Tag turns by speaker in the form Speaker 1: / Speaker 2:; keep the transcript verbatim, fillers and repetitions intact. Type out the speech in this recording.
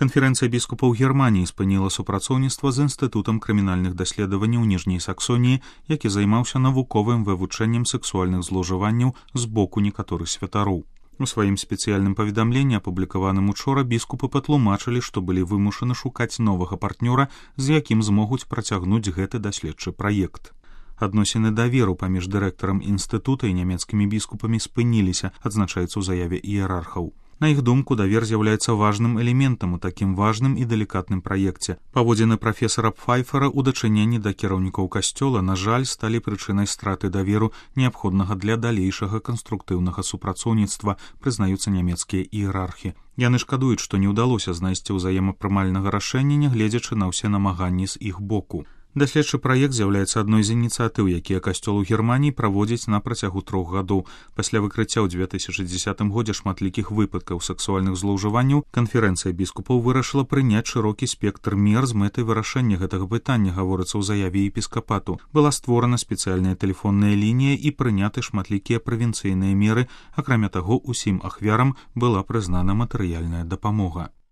Speaker 1: Канферэнцыя біскупаў Германіі спыніла супрацоўніцтва з Інстытутам крымінальных даследаванняў Ніжняй Саксоніі, які займаўся навуковым вывучэннем сексуальных злоўжыванняў з боку некаторых святароў. У сваім спецыяльным паведамленні, апублікаваным учора, біскупы патлумачылі, што былі вымушаны шукаць новага партнёра, з якім змогуць працягнуць гэты даследчы праект. Адносіны даверу паміж дырэктарам інстытута і нямецкімі біскупамі спыніліся, адзначаецца ў заяве іерархаў. На іх думку, давер з'яўляецца важным элементам у такім важным і далікатным праекце. Паводзіны прафесара Пфайфера ў дачыненні да кіраўнікоў касцёла, на жаль, сталі прычынай страты даверу, неабходнага для далейшага канструктыўнага супрацоўніцтва, прызнаюцца нямецкія іерархі. Яны шкадуюць, што не ўдалося знайсці ўзаемапрымальнага рашэння, нягледзячы на ўсе намаганні з іх боку. Даследчы праект з'яўляецца адной з ініцыятыў, якія касцёл у Германіі праводзіць на працягу трох гадоў. Пасля выкрыцця ў дзве тысячы дзесятым годзе шматлікіх выпадкаў сексуальных злоўжыванняў, канферэнцыя біскупаў вырашыла прыняць шырокі спектр мер з мэтай вырашэння гэтага пытання, гаворыцца ў заяве епіскапату. Была створана спецыяльная тэлефонная лінія і прыняты шматлікія прэвенцыйныя меры, акрамя таго, усім ахвярам была прызнана матэрыяльная дапамога.